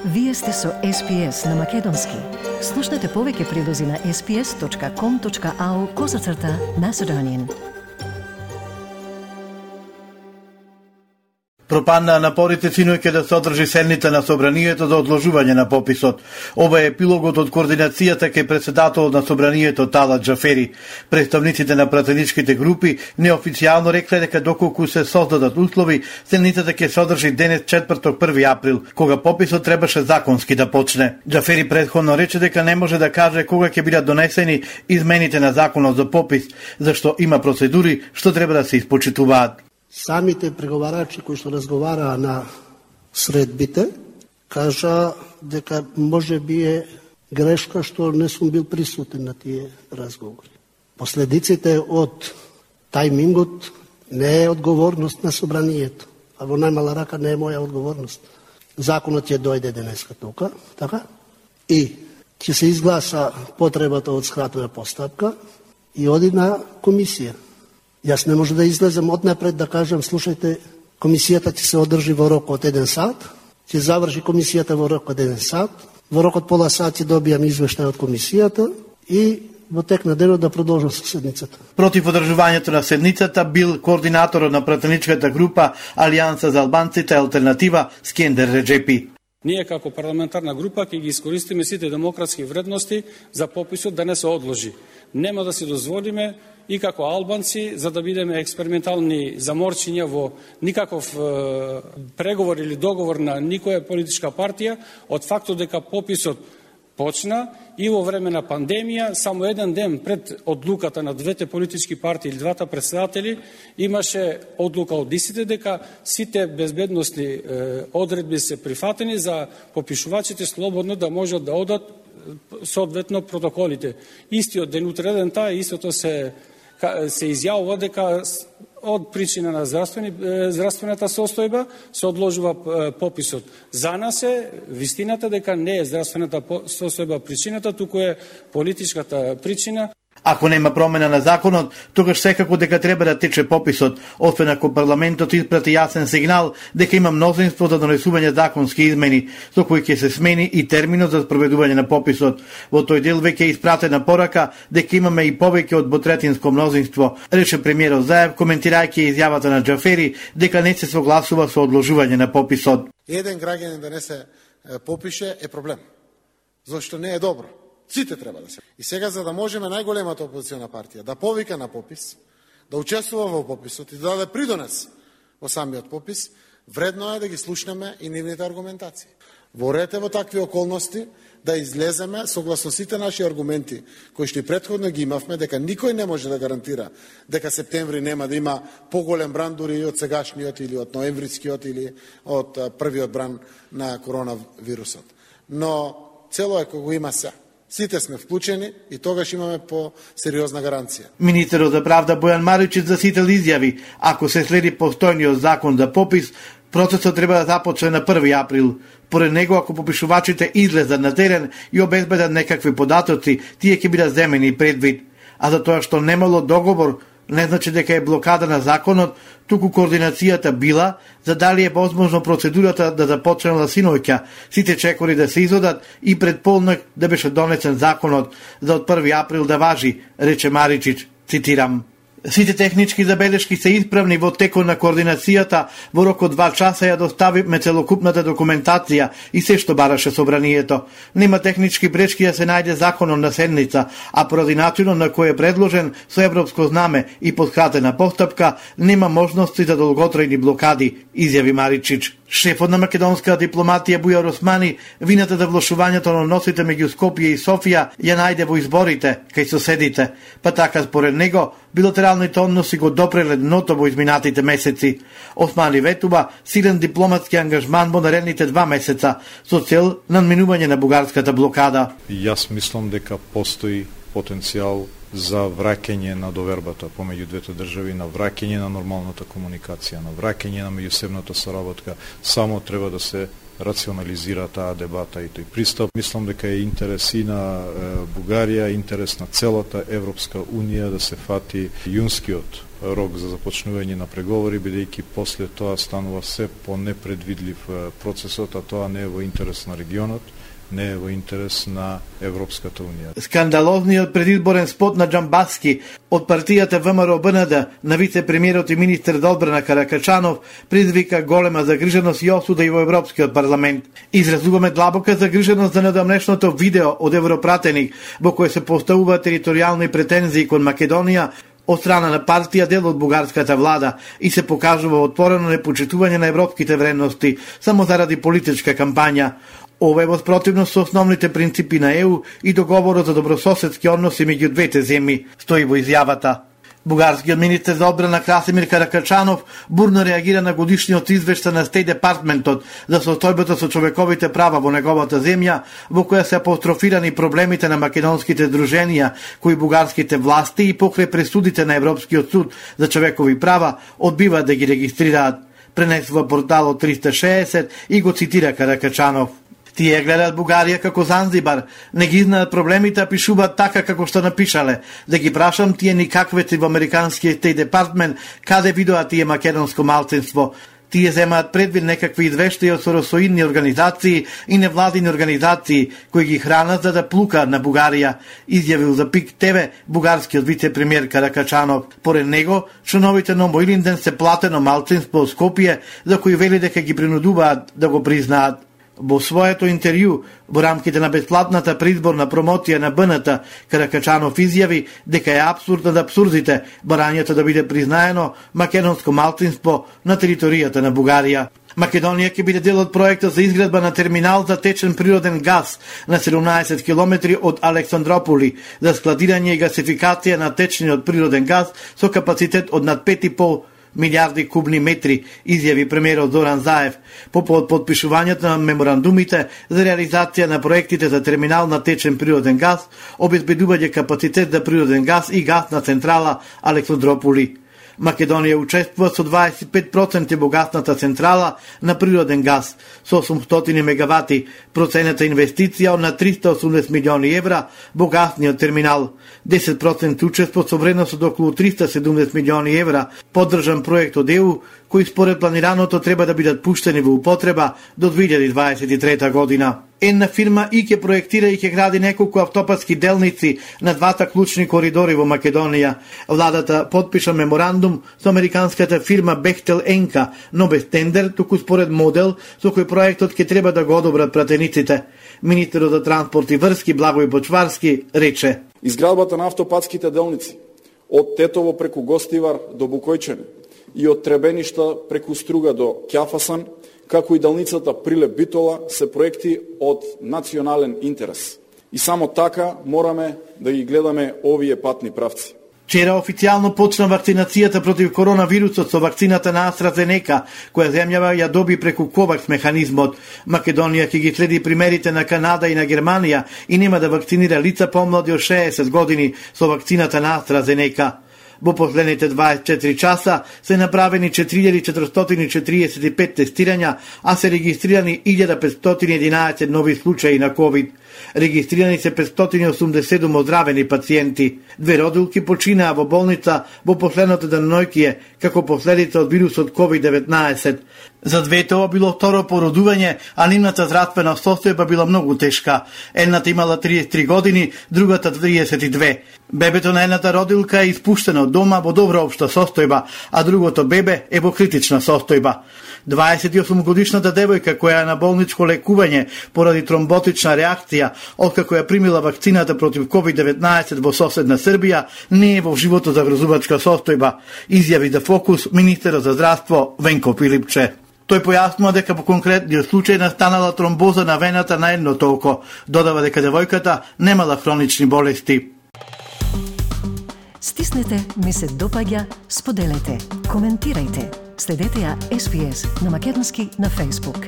Вие сте со SPS на Македонски. Слушнете повеќе прилози на sps.com.au/Macedonian. Пропаднаа напорите синоќа да се одржи седница на собранието за одложување на пописот. Ова е епилогот од координацијата кај председателот на собранието Талат Џафери. Представниците на пратеничките групи неофицијално рекле дека доколку се создадат услови, седницата ќе се одржи денес четврток 1 април, кога пописот требаше законски да почне. Џафери претходно рече дека не може да каже кога ќе бидат донесени измените на законот за попис, зашто има процедури што треба да се испочитуваат. Самите преговарачи кои што разговараа на средбите, кажа дека може би е грешка што не сум бил присутен на тие разговори. Последиците од тајмингот не е одговорност на собранието, а во најмала рака не е моја одговорност. Законот ќе дојде денеска тука, така? И ќе се изгласа потребата од скратена постапка и оди на комисија. Јас не може да излезем однапред да кажам, слушајте, комисијата ќе се одржи во рок од 1 сат, ќе заврши комисијата во рок од 1 сат, во рок од пола сат ќе добијам извештај од комисијата и во тек на денот да продолжам со седницата. Против одржувањето на седницата бил координаторот на пратеничката група Алијанса за албанците Алтернатива Скендер Реджепи. Ние како парламентарна група ќе ги искористиме сите демократски вредности за пописот да не се одложи. Нема да си дозволиме и како албанци, за да бидеме експериментални заморчиња во никаков преговор или договор на никоја политичка партија, од фактот дека пописот почна и во време на пандемија, само еден ден пред одлуката на двете политички партии или двата председатели, имаше одлука од истите дека сите безбедностни одредби се прифатени за попишувачите слободно да можат да одат соодветно протоколите. Истиот ден, утреден таа, истото се изјавува дека од причина на здравствената состојба се одложува пописот. За нас е вистината дека не е здравствената состојба причината, туку е политичката причина. Ако нема промена на законот, тогаш секако дека треба да тече пописот, освен ако парламентот испрати јасен сигнал дека има мнозинство за донесување законски измени, со кои ќе се смени и терминот за спроведување на пописот. Во тој дел веќе е испратена порака дека имаме и повеќе од двотретинско мнозинство, рече премиерот Заев, коментирајќи изјавата на Џафери дека не се согласува со одложување на пописот. Еден граѓанин да не се попише е проблем, зашто не е добро. Сите треба да се. И сега, за да можеме најголемата опозициона партија да повика на попис, да учествува во пописот и да даде придонес во самиот попис, вредно е да ги слушнеме и нивните аргументации. Ворете во такви околности да излеземе согласно сите наши аргументи, кои што и претходно ги имавме, дека никој не може да гарантира дека септември нема да има поголем бран дури од сегашниот или од ноемврискиот или од првиот бран на коронавирусот. Но цело е кога има се. Сите сме вклучени и тогаш имаме по-сериозна гаранција. Министерот за правда Бојан Маричич за сител изјави, ако се следи постојниот закон за попис, процесот треба да започне на 1 април. Поред него, ако попишувачите излезат на терен и обезбедат некакви податоци, тие ќе бидат земени предвид. А за тоа што немало договор, не значи дека е блокада на законот, туку координацијата била за дали е возможно процедурата да започнела синоќа, сите чекори да се изодат и пред полнок да беше донесен законот за од 1 април да важи, рече Маричич, цитирам. Сите технички забелешки се исправни во текот на координацијата, во рок од 2 часа ја доставивме целокупната документација и се што бараше собранието. Нема технички пречки да се најде законот на седница, а поради начинот на кој е предложен со европско знаме и подкратена постапка, нема можности за долготрајни блокади, изјави Маричич. Шефот на македонската дипломатија Бујар Османи вината за влошувањето на односите меѓу Скопје и Софија ја најде во изборите кај соседите, па така според него билатералните односи го допреле дното во изминатите месеци. Османи ветува силен дипломатски ангажман во наредните 2 месеца со цел надминување на бугарската блокада. Јас мислам дека постои потенцијал за враќање на довербата помеѓу двете држави, на враќање на нормалната комуникација, на враќање на меѓусебната соработка. Само треба да се рационализира таа дебата и тој пристап. Мислам дека е интерес и на Бугарија, интерес на целата Европска Унија да се фати јунскиот рок за започнување на преговори, бидејќи после тоа станува се по непредвидлив процесот, а тоа не е во интерес на регионот, не е во интерес на Европската Унија. Скандалозниот предизборен спот на Џамбаски од партијата ВМРО-БНД на вице-премиерот и министер за одбрана Каракачанов предизвика голема загриженост и осуда и во Европскиот парламент. Изразуваме длабока загриженост за недавнешното видео од Европратеник во кој се поставува територијални претензии кон Македонија од страна на партија дел од бугарската влада и се покажува отворено непочитување на европските вредности само заради политичка кампања. Ова е во спротивност со основните принципи на ЕУ и договорот за добрососедски односи меѓу двете земји, стои во изјавата. Бугарскиот министер за одбрана Красимир Каракачанов бурно реагира на годишниот извештај на Стејт Департментот за состојбата со човековите права во неговата земја, во која се апострофирани проблемите на македонските здруженија, кои бугарските власти и покрај пресудите на Европскиот суд за човекови права одбиваат да ги регистрираат. Пренесува порталот 360 и го цитира Каракачанов. Тие гледаат Бугарија како Занзибар, не ги знаат проблемите, а пишуваат така како што напишале. Да ги прашам тие никаквеци во американскиот Стејт Департмент, каде видоа тие македонско малцинство. Тие земаат предвид некакви извештаи од соросоидни организации и невладини организации кои ги хранат за да плукаат на Бугарија, изјавил за ПИК ТВ бугарскиот вице-премиер Каракачанов. Поред него, членовите на Моилинден се платено малцинство од Скопје, за кои вели дека ги принудуваат да го признаат. Во своето интервју во рамките на бесплатната предизборна промоција на БНТ, Каракачанов изјави дека е апсурд над апсурдите барањето да биде признаено македонско малцинство на територијата на Бугарија. Македонија ќе биде дел од проектот за изградба на терминал за течен природен газ на 17 километри од Александрополи за складирање и гасификација на течниот природен газ со капацитет од над 5,5 милиарди кубни метри, изјави премиерот Зоран Заев по подпишувањето на меморандумите за реализација на проектите за терминал на течен природен газ, обезбедување капацитет за природен газ и газна централа Александрополи. Македонија учествува со 25% во газната централа на природен газ со 800 мегавати, процената инвестиција од на 380 милиони евра во газниот терминал, 10% учество со вредност од околу 370 милиони евра, поддржан проект од ЕУ, кои според планираното треба да бидат пуштени во употреба до 2023 година. Една фирма и ќе проектира и ќе гради неколку автопатски делници на двата клучни коридори во Македонија. Владата подпиша меморандум со американската фирма Бехтел Енка, но без тендер, туку според модел со кој проектот ќе треба да го одобрат пратениците. Министерот за транспорт и врски Благој Почварски рече: изградбата на автопатските делници од Тетово преку Гостивар до Букојчене и од Требеништа преку Струга до Ќафасан, како и делницата Прилеп-Битола, се проекти од национален интерес. И само така мораме да ги гледаме овие патни правци. Вчера официјално почна вакцинацијата против коронавирусот со вакцината на AstraZeneca, која земјава ја доби преку COVAX механизмот. Македонија ќе ги следи примерите на Канада и на Германија и нема да вакцинира лица помлади од 60 години со вакцината на AstraZeneca. Во последните 24 часа се направени 4445 тестирања, а се регистрирани 1511 нови случаи на COVID. Регистрирани се 587 оздравени пациенти. 2 родилки починаа во болница во последното деноноќие како последица од вирусот COVID-19. За двете ова било второ породување, а нивната здравствена состојба била многу тешка. Едната имала 33 години, другата 32. Бебето на едната родилка е испуштено од дома во добра општа состојба, а другото бебе е во критична состојба. 28-годишната девојка која е на болничко лекување поради тромботична реакција, откако ја примила вакцината против COVID-19 во соседна Србија, не е во живото загрозувачка состојба, изјави за Фокус министерот за здравство Венко Пилипче. Тој појаснува дека по конкретниот случај настанала тромбоза на вената на едното око. Додава дека девојката немала хронични болести. Стиснете, ми се допаѓа, споделете, коментирајте. Следете ја SPS на Македонски на Facebook.